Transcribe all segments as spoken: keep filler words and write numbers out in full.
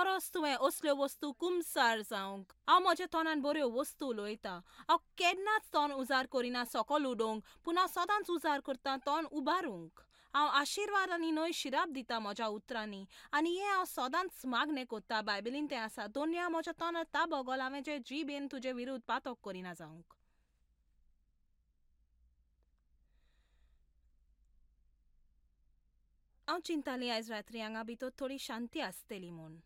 गरज तुवें असल्यो वस्तू कुमसार जावंक. हांव म्हज्या तोंडान बऱ्यो वस्तू उलयतां. हांव केन्नाच तोंड उजार करिना सकल उडोवंक, पूण हांव सदांच उजार करतां तोंड उबारूंक. हांव आशिर्वाद आनी न्हय शिराप दिता म्हज्या उतरांनी, आनी हें हांव सदांच मागणें करता. बायबलीन तें आसा, दोनया म्हज्या तोंडार ताबो घाल, हांवें जे जिबेन तुजे विरुद्ध पातक करिना जावंक. हांव चिंताली आयज रात्री हांगा भितर थोडी शांती आसतली म्हूण,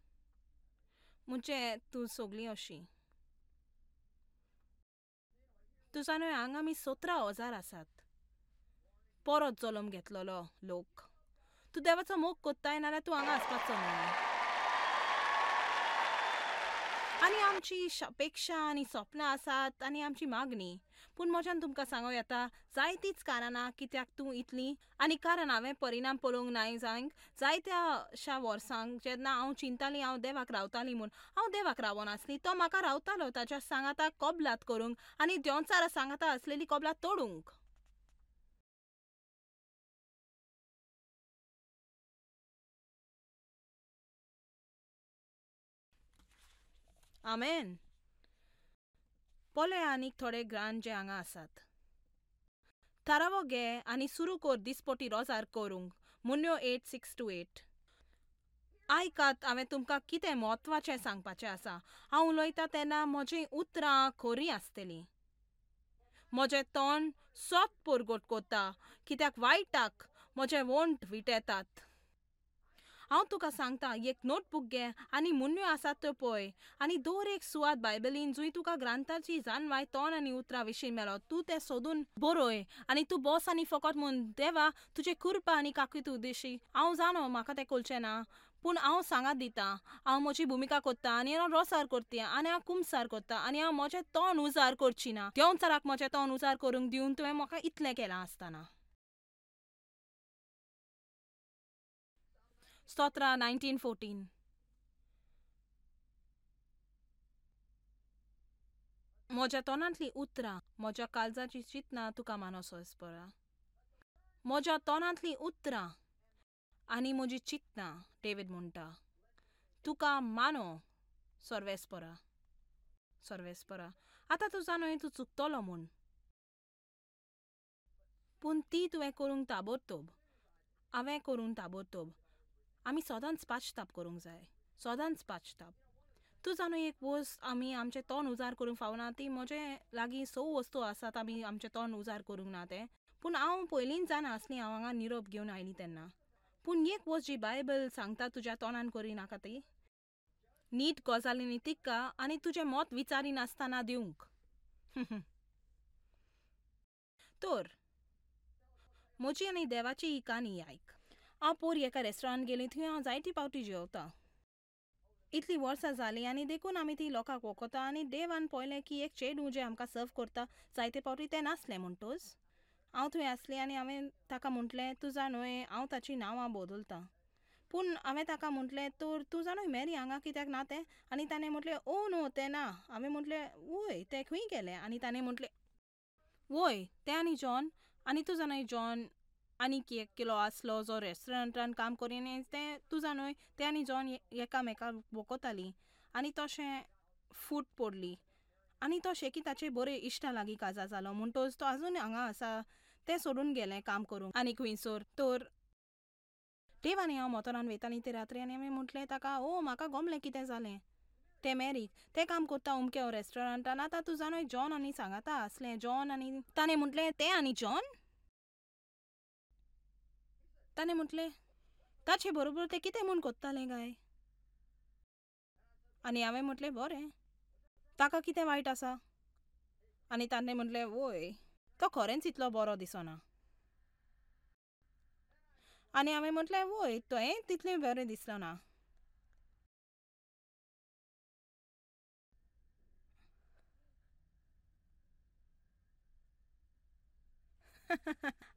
म्हणजे तूं सगळीं अशी. तूं जाणा हांगा आमी सतरा हजार आसात परत जल्म घेतलेलो लोक. तूं देवाचो मोग कोत्ताय नाल्यार तूं हांगा आसपाचो न्हय. आनी आमची अपेक्षा आनी सपनां आसात आनी आमची मागणी, पूण म्हज्यान तुमकां सांगूं येता जायतीच कारणां कित्याक तूं इतली, आनी कारण हांवें परिणाम पळोवंक नाय जावंक जायत्याशा वर्सांक जेन्ना हांव चिंताली हांव देवाक रावताली म्हूण, हांव देवाक रावनासली, तो म्हाका रावतालो ताच्या सांगाता कबलात करूंक आनी देंवचारा सांगाता आसलेली कबलात तोडूंक. आमेन. पळय आनीक थोडे ग्रांत जे हांगा आसात. थारावो घे आनी सुरू कर दिसपटी रोजार करूंक. मुन्यो एट सिक्स टू एट. आयकात, हांवें तुमकां कितें म्हत्वाचें सांगपाचें आसा. हांव उलयतां तेन्ना म्हजीं उतरां खरीं आसतलीं. म्हजें तोंड सत परगट करता, कित्याक वायटाक म्हजे वंठ विटेतात. हांव तुका सांगता, एक नोटबूक घे आनी मुन्यो आसात त्यो पळय, आनी दर एक सुवात बायबलीन जंय तुका ग्रंथाची जाणवाय तोंड आनी उतरां विशीं मेळत, तूं तें सोदून बरय आनी तूं बस आनी फकत म्हूण देवा तुजे कृपा आनी काकूत उद्देशी. हांव जाणो म्हाका तें कळचें ना, पूण हांव सांगात दितां. हांव म्हजी भुमिका करतां आनी हांव रोसार करता आनी हांव कुमसार करता आनी हांव म्हजें तोंड उजार करची ना. देंवचाराक म्हजें तोंड उजार करूंक दिवन तुवें म्हाका इतलें केलां आसतना. स्तोत्रा नायन्टीन फोर्टीन. म्हज्या तोंडांतलीं उतरां, म्हज्या काळजाची चिंतनां तुका मानसोस परा. म्हज्या तोंडांतलीं उतरां आनी म्हजी चिंतनां, डेवीड म्हणटा, तुका मानो सर्वेस्परा सर्वेस्परा. आतां तूं जाणो तूं चुकतलो म्हूण, पूण ती तुवें करूंक ताबडतोब, हांवें करूंक ताबडतोब. आमी सदांच पाश्ताप करूंक जाय, सदांच पाश्ताप. तूं जाणो एक वस्त आमी आमचें तोंड उजार करूंक फावना, ती म्हजे लागीं स वस्तू आसात आमी आमचें तोंड उजार करूंक ना तें. पूण हांव पयलींच जाणा आसली हांव हांगा निरोप घेवन आयली तेन्ना. पूण एक वस्त जी बायबल सांगता तुज्या तोंडान करिनाका ती नीट गजालींनी तिका आनी तुजें मत विचारिनासतना दिवंक. तर म्हजी आनी देवाची ही काणी आयक. हांव पोर एका रेस्टॉरंट गेली, थंय हांव जायती पावटी जेवतां. इतलीं वर्सां जालीं आनी देखून आमी ती लोकांक वळखता. आनी देवान पळयलें की एक चेडूं जें आमकां सर्व करता जायते पावटी तें नासलें म्हणटच हांव थंय आसलें आनी हांवें ताका म्हटलें, तूं जाणो हांव ताचीं नांवां बदलतां. पूण हांवें ताका म्हटलें, तर तूं जाणो मॅरी हांगा कित्याक ना तें? आनी ताणें म्हटलें, ओ नो तें ना. हांवें म्हटलें, वय तें खंय गेलें? आनी ताणें म्हटलें, वय तें आनी जॉन. आनी तूं जाणा जॉन आनीक एक किलो आसलो जो रेस्टॉरंटान काम करी आनी तें तूं जाणो तें आनी जॉन एकामेकाक वळखतालीं आनी तशें फूट पडली आनी तो शेकी ताचे बरे इश्टा लागीं काजार जालो म्हणटच तो आजून हांगा आसा. तें सोडून गेलें काम करूंक आनी खंयसर. तर देव आनी हांव मोटोरान वयतालीं ते रात्री आनी हांवें म्हटलें ताका, ओ म्हाका गमलें कितें जालें तें मॅरीक तें काम करता अमक्या रेस्टॉरंटान. आतां तूं जाणो जॉन आनी सांगाता आसलें जॉन. आनी ताणें म्हटलें, तें आनी जॉन? ताणें म्हटलें, ताचे बरोबर तें कितें म्हूण करतालें काय? आनी हांवें म्हटलें, बरें, ताका कितें वायट आसा? आनी ताणें म्हटलें, वय तो खरेंच इतलो बरो दिसना. आनी हांवें म्हटलें, वय तुवें तितलें बरें दिसलो ना.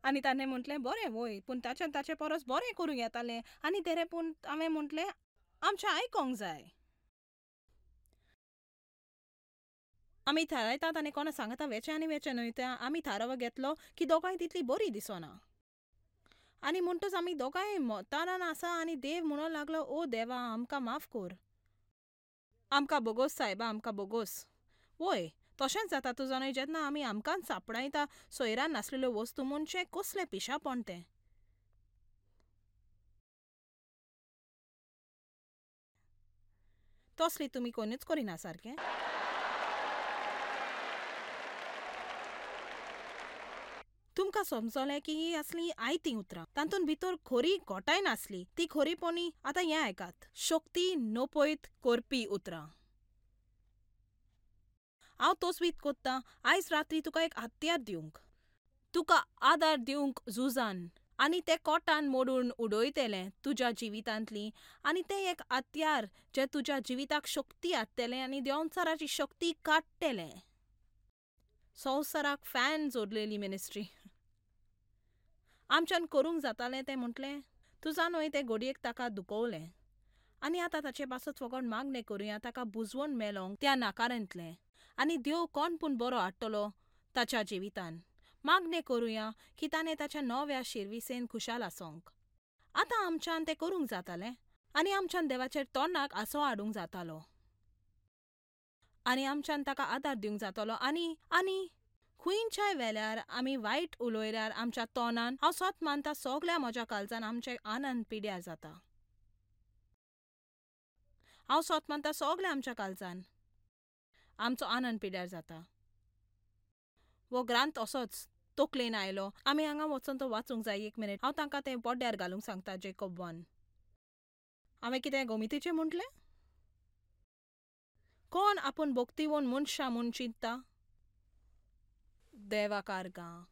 आनी ताणें म्हटलें, बरें वय, पूण ताच्यान ताचे परस बरें करूंक येतालें. आनी तेरे पूण हांवें म्हटलें, आमचें आयकोंक जाय. आमी थारायतात आनी कोणा सांगता वेचें आनी वेचें न्हय तें. आमी थारावो घेतलो की दोगांय तितली बरी दिसना. आनी म्हणटच आमी दोगांय मोतारान आसा आनी देव म्हणूंक लागलो, ओ देवा आमकां माफ कर. आमकां बोगोस सायबा, आमकां बोगोस. वय, तशेंच जाता तूं जाणा जेन्ना आमी आमकांच सांपडायता सोयरान नासलेल्यो वस्तू म्हणजे कसलें पिशापण तें. तसली तुमी कोणूच करिना सारकें. तुमकां समजलें की ही असलीं आयतीं उतरां, तातूंत भितर खरी घोटाय नासली, ती खरीपणी. आतां हें आयकात, शक्ती नपयत करपी उतरां. हांव तोसवीत कोत्तां आयज रात्री तुका एक हत्यार दिवंक, तुका आदार दिवंक झुजान, आनी तें कोटान मोडून उडयतलें तुज्या जिवितांतली. आनी तें एक हत्यार जें तुज्या जिविताक शक्ती हाडटलें आनी देंवचाराची शक्ती काडटलें. संवसाराक फॅन जोडलेली मिनिस्ट्री आमच्यान करूंक जातालें तें म्हटलें. तूं जाणूय तें घडयेक ताका दुखवलें आनी आतां ताचे पासत फकत मागणें करुया ताका बुजवण मेलोंक त्या नाकारांतलें, आनी देव कोण पूण बरो हाडटलो ताच्या जिवितान. मागणें करुया की ताणें ताच्या नव्या शिरविसेन खुशाल आसोंक. आतां आमच्यान तें करूंक जातालें आनी आमच्यान देवाचेर तोंडाक आसो हाडूंक जातालो आनी आमच्यान ताका आदार दिवंक जातालो. आनी आनी खंयच्याय वेल्यार आमी वायट उलयल्यार आमच्या तोंडान, हांव सत मानता सगल्या म्हज्या काळजान आमचें आनंद पिड्यार जाता. हांव सत मानता सगल्या आमच्या काळजान आमचो आनंद पिड्यार जाता. हो ग्रांथ असोच तकलेन आयलो, आमी हांगा वचून तो वाचूंक जाय. एक मिनीट, हांव तांकां तें पड्ड्यार घालूंक सांगता. Jacob one. हांवें कितें गोमितीचें म्हटलें? कोण आपूण भोक्तिवोन मनशां म्हूण चिंतता? देवाकारगां.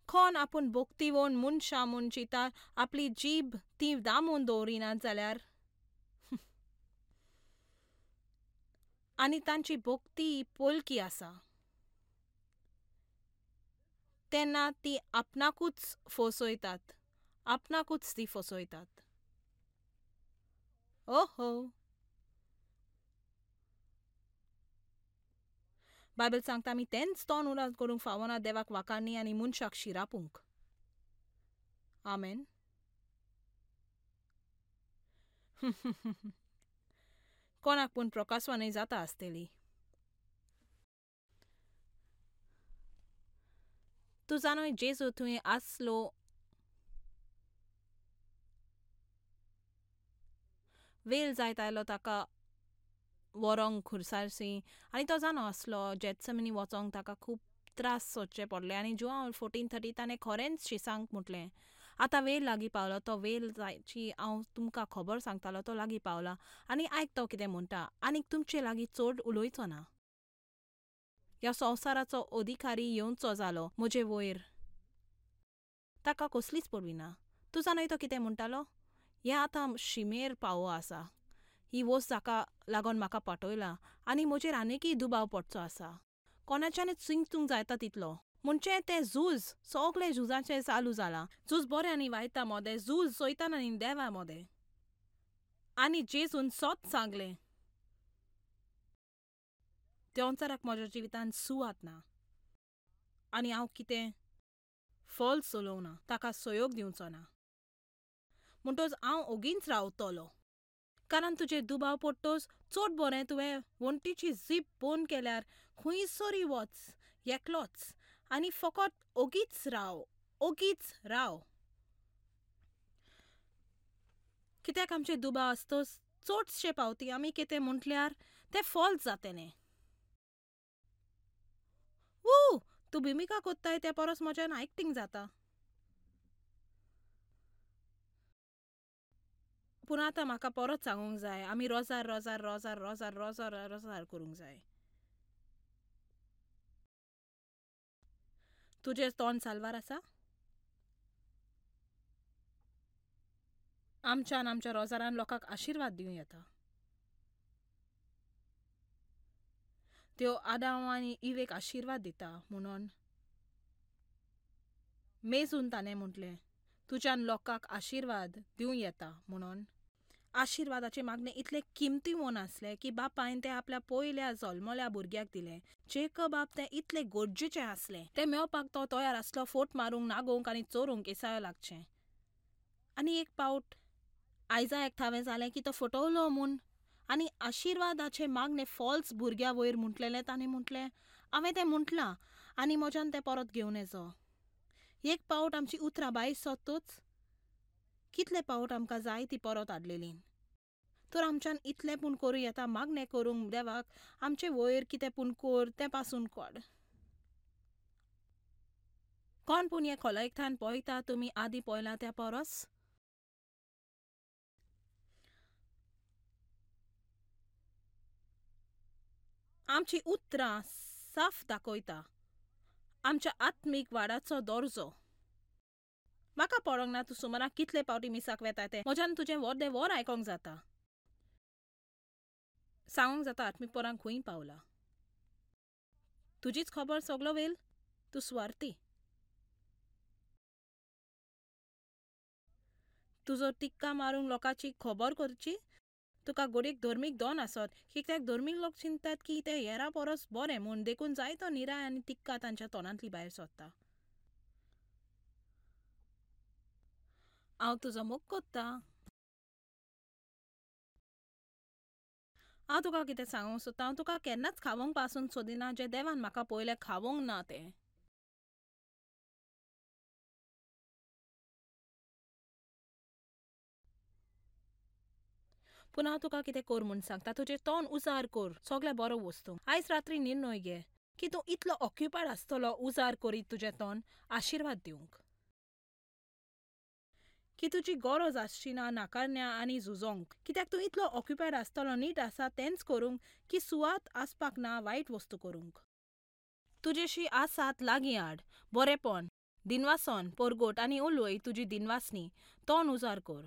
कोण आपूण भोक्तिवोन मनशां म्हूण चिंता आपली जीब ती दामून दवरिनात जाल्यार आनी तांची भोक्ती पोलकी आसा तेन्ना ती आपणाकूच फसयतात, आपणाकूच ती फसयतात. ओहो, बायबल सांगता आमी तेंच तोंड उणाक करूंक फावना देवाक वाखाणणी आनी मनशाक शिरापूंक. आमेन. कोणाक पूण प्रकासवानय जाता आसतली. तूं जाणूय जेजू थंय आसलो वेल जायत आयलो ताका व्हरोंक खुर्सारसी, आनी तो जाणो आसलो जेत्समनी वचोंक ताका खूब त्रास सोदचे पडले. आनी जुआंव फोर्टीन थर्टी ताणें खरेंच शिसांक म्हटलें, आतां वेल लागीं पावलो, तो वेल जायची हांव तुमकां खबर सांगतालो तो लागीं पावला, आनी आयक तो कितें म्हणटा, आनीक तुमचे लागीं चड उलोवचो ना. ह्या संवसाराचो अधिकारी येवचो जालो म्हजे वयर, ताका कसलीच पडवी ना. तूं जाणय तो कितें म्हणटालो? हें आतां शिमेर पावो आसा, ही वस्त जाका लागून म्हाका पाठयला आनी म्हजेर आनीकय दुबाव पडचो आसा. कोणाच्यानूच चिंतूंक जायता तितलो. म्हणजे तें झूज सगळें झुजाचें चालू जालां, झूज बरें आनी वायटा मोदें, झूज सैतान आनी देवा मोदें. आनी जेजून सत सांगलें, देंवचाराक म्हज्या जिवितांत सुवात ना आनी हांव कितें फॉल्स उलोवना, ताका सहयोग दिवचो ना, म्हणटच हांव ओगीच रावतलो. कारण तुजेर दुबाव पडटच चड बरें तुवें वण्टीची जीप बंद केल्यार खंयसरूय वच एकलोच आनी फकत ओगीच राव, ओगीच राव. कित्याक आमचे दुबाव आसतच चडशे पावती आमी कितें म्हटल्यार तें फॉल्स जातलें. वू, तूं भुमिका कोत्ताय त्या परस म्हज्यान एक्टींग जाता. पूण आतां म्हाका परत सांगूंक जाय, आमी रोजार रोजार रोजार रोजार रोजार रोजार करूंक जाय. तुजें तोंड साल्वार आसा? आमच्यान आमच्या रोजारान लोकांक आशिर्वाद दिवं येता. त्यो आदांव आनी इवेक आशिर्वाद दिता म्हणून मेजून ताणें म्हटलें, तुज्यान लोकांक आशिर्वाद दिवं येता म्हणून. आशिर्वादाचे मागणें इतलें किमती म्हूण आसलें की बापायन तें आपल्या पयल्या जल्मल्या भुरग्याक दिलें. जेकबाब तें इतलें गरजेचें आसलें, तें मेळपाक तो तयार आसलो फोट मारूंक, नागोवंक आनी चोरूंक एसायो लागचें. आनी एक पावट आयजा एक थावें जालें की तो फटवलो म्हूण आनी आशिर्वादाचें मागणें फॉल्स भुरग्या वयर म्हटलेलें ताणें म्हटलें हांवें तें म्हटलां आनी म्हज्यान तें परत घेवन येचो. एक पावट आमची उतरां भायर सोदतूच कितले पावट आमकां जाय ती परत हाडलेली. तर आमच्यान इतलें पूण करूं येता मागणें करूंक देवाक आमचे वयर कितें पूण कोर तें पासून कोड. कोण पूण हें खोलायकथान पळयता तुमी आदीं पळयलां त्या परस? आमची उतरां साफ दाखयता आमच्या आत्मीक वाडाचो दर्जो. म्हाका पडोंक ना तूं सुमाराक कितले पावटी मिसाक वेता तें, म्हज्यान तुजें वर्दें वर आयकोंक जाता. सांगूंक जाता आत्मीक पोरांक खंय पावला. तुजीच खबर सगलो वेल, तूं सुवार्थी. तुजो टिक्का मारूंक लोकांची खबर करची. तुका घडयेक धर्मीक दोन आसत, कित्याक धर्मीक लोक चिंततात की ते हेरां परस बरें म्हूण, देखून जायतो निराय आनी टिक्का तांच्या तोंडांतली भायर सरता. हांव तुजो मोग कोत्ता. हांव तुका कितें सांगूंक सोदता, हांव तुका केन्नाच खावोंक पासून सोदिना जें देवान म्हाका पयलें खावोंक ना तें. पूण हांव तुका कितें कर म्हूण सांगता, तुजें तोंड उजार कर सगळें बरो वस्तू. आयज रात्री निर्णय घे की तूं इतलो ऑक्युपायड आसतलो उजार करीत तुजें तोंड आशिर्वाद दिवंक की तुजी गरज आसची ना नाकारण्या आनी झुजोंक, कित्याक तूं इतलो ऑक्युपायड आसतलो नीट आसा तेंच करूंक की सुवात आसपाक ना वायट वस्तू करूंक. तुजेशी आसात लागीं हाड बरेंपण दिनवासन परगट आनी उलय तुजी दिनवासनी. तोंड उजार कर.